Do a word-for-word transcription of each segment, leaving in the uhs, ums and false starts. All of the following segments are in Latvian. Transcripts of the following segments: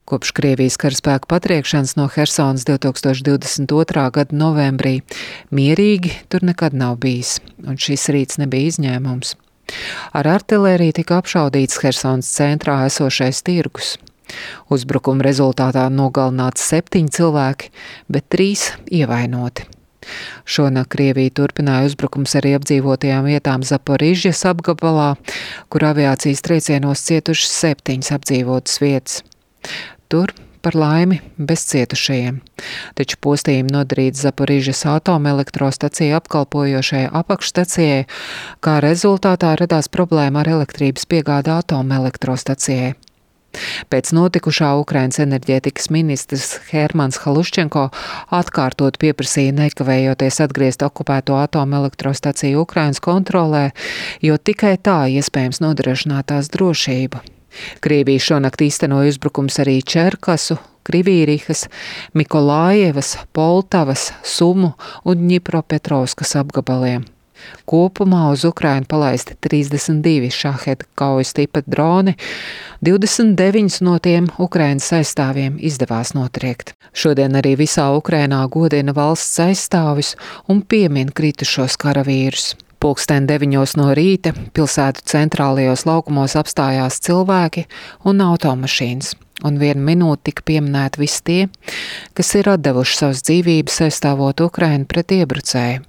Kopš Krievijas karaspēka patriekšanas no Hersonas divs tūkstoši divdesmit otrā gada novembrī mierīgi tur nekad nav bijis, un šis rīts nebija izņēmums. Ar artilēriju tika apšaudīts Hersonas centrā esošais tirgus. Uzbrukuma rezultātā nogalināti septiņi cilvēki, bet trīs ievainoti. Šonakt Krievija turpināja uzbrukums arī apdzīvotajām vietām Zaporižjas apgabalā, kur aviācijas triecienos cietušas septiņas apdzīvotas vietas. Tur, par laimi, bez cietušajiem, taču postījumi nodarīts Zaporižjas atomelektrostacija apkalpojošajai apakšstacijai, kā rezultātā radās problēma ar elektrības piegādi atomelektrostacijai. Pēc notikušā Ukrainas enerģētikas ministrs Hermans Haluščenko atkārtot pieprasīja nekavējoties atgriezt okupēto atomelektrostaciju Ukrainas kontrolē, jo tikai tā iespējams nodrošināt tās drošību. Krievija šonakt īstenoja uzbrukums arī Čerkasu, Krivīrihas, Mikolājevas, Poltavas, Sumu un Ņipropetrovskas apgabaliem. Kopumā uz Ukrainu palaisti trīsdesmit divi šaheda kaujas tipa droni, divdesmit deviņus no tiem Ukrainas aizstāvjiem izdevās notriekt. Šodien arī visā Ukrainā godina valsts aizstāvis un piemin kritušos karavīrus. Pulksten deviņos no rīta pilsētu centrālajos laukumos apstājās cilvēki un automašīnas, un vienu minūti tika pieminēti visi tie, kas ir atdevuši savas dzīvības aizstāvot Ukrainu pret iebrucēju.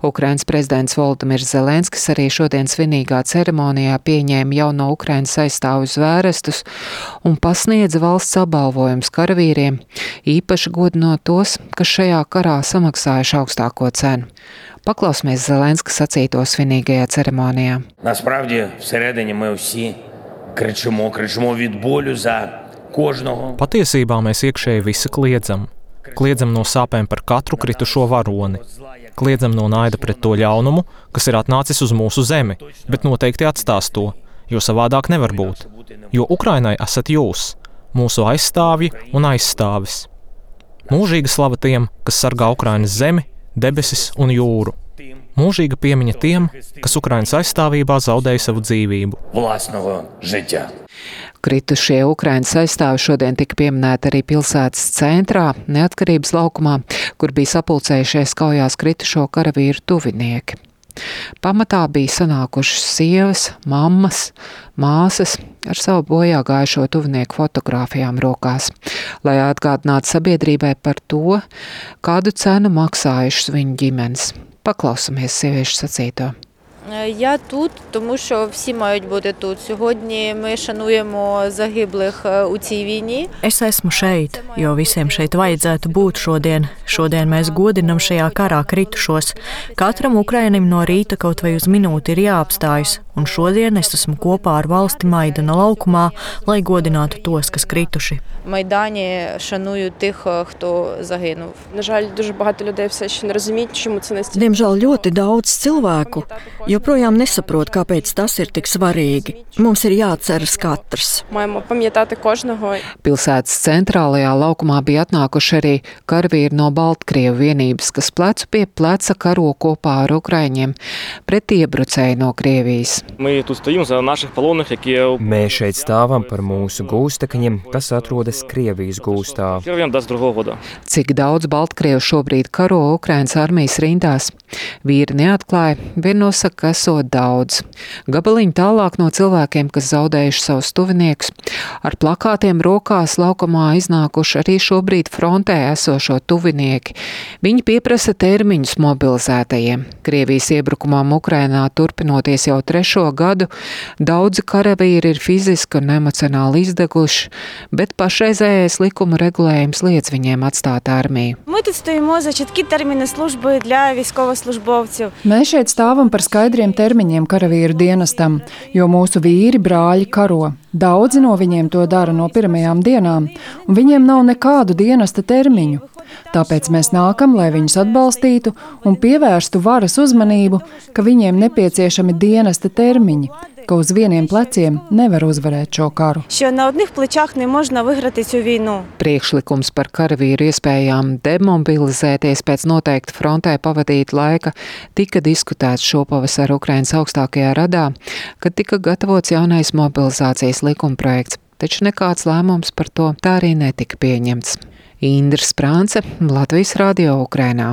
Ukrainas prezidents Volodimirs Zelenskis arī šodien svinīgā ceremonijā pieņēma jauno Ukrainas aizstāvu zvērestus un pasniedza valsts apbalvojumus karavīriem, īpaši godinot tos, kas šajā karā samaksājuši augstāko cenu. Paklausīsimies Zelenska sacīto svinīgajā ceremonijā. Насправді, всередині ми всі кричимо, кричимо від болю за кожного. Patiesībā mēs iekšēji visi kliedzam. Kliedzam no sāpēm par katru kritušo varoni. Kliedzam no naida pret to ļaunumu, kas ir atnācis uz mūsu zemi, bet noteikti atstās to, jo savādāk nevar būt. Jo Ukrainai esat jūs, mūsu aizstāvji un aizstāvis. Mūžīga slava tiem, kas sargā Ukrainas zemi, debesis un jūru. Mūžīga piemiņa tiem, kas Ukrainas aizstāvībā zaudēja savu dzīvību. Власного життя. Kritušie Ukrainas aizstāvi šodien tika pieminēti arī pilsētas centrā, Neatkarības laukumā, kur bija sapulcējušies kaujās kritušo karavīru tuvinieki. Pamatā bija sanākušas sievas, mammas, māsas ar savu bojā gājušo tuvinieku fotogrāfijām rokās, lai atgādinātu sabiedrībai par to, kādu cenu maksājušas viņu ģimenes. Paklausamies sieviešu sacīto. Я тут, тому що всі мають бути тут. Сьогодні ми шануємо загиблих у цій війні. Es esmu šeit, jo visiem šeit vajadzētu būt šodien. Šodien mēs godinam šajā karā kritušos. Katram Ukrainim no rīta kaut vai uz minūti ir jāapstājas, un šodien es esmu kopā ar valsti Maidana laukumā, lai godinātu tos, kas krituši. Майдані шаную тих, хто загинув. На жаль, дуже багато людей все ще не розуміють, чому це настільки. Diemžēl ļoti daudz cilvēku joprojām nesaprot, kāpēc tas ir tik svarīgi. Mums ir jāatceras katrs. Маємо пам'ятати кожного. Pilsētas centrālajā laukumā bija atnākuši arī karavīri no Baltkrievu vienības, kas plecu pie pleca karo kopā ar Ukraiņiem pret iebrucēju no Krievijas. Mēs šeit stāvam par mūsu gūstekņiem, kas atrodas Krievijas gūstā. Cik daudz Baltkrievu šobrīd karo Ukrainas armijas rindās? Vīri neatklāja, vien nosaka, ka esot daudz. Gabaliņi tālāk no cilvēkiem, kas zaudējuši savus tuviniekus, ar plakātiem rokās laukumā iznākuši arī šobrīd frontē esošo tuvinieki. Viņi pieprasa termiņus mobilizētajiem. Krievijas iebrukumām Ukrainā turpinoties jau trešo gadu, daudzi karavīri ir fiziski un emocionāli izdeguši, bet pašreizējais likuma regulējums liedz viņiem atstāt armiju. Ми тут стоїмо за чіткі терміни служби для військовослужбовців. Mēs šeit stāvam par skaidriem termiņiem karavīru dienestam, jo mūsu vīri brāļi karo. Daudzi no viņiem to dara no pirmajām dienām, un viņiem nav nekādu dienesta termiņu. Tāpēc mēs nākam, lai viņus atbalstītu un pievērstu varas uzmanību, ka viņiem nepieciešami dienesta termiņi, ka uz vieniem pleciem nevar uzvarēt šo karu. Що на одних плечах не можна виграти цю війну. Priekšlikums par karavīru iespējām demobilizēties pēc noteikta frontē pavadīt laika tika diskutēts šopavasar Ukrainas augstākajā radā, kad tika gatavots jaunais mobilizācijas likumprojekts. taču nekāds lēmums par to tā arī netika pieņemts. Indra Sprānce, Latvijas Radio Ukrainā.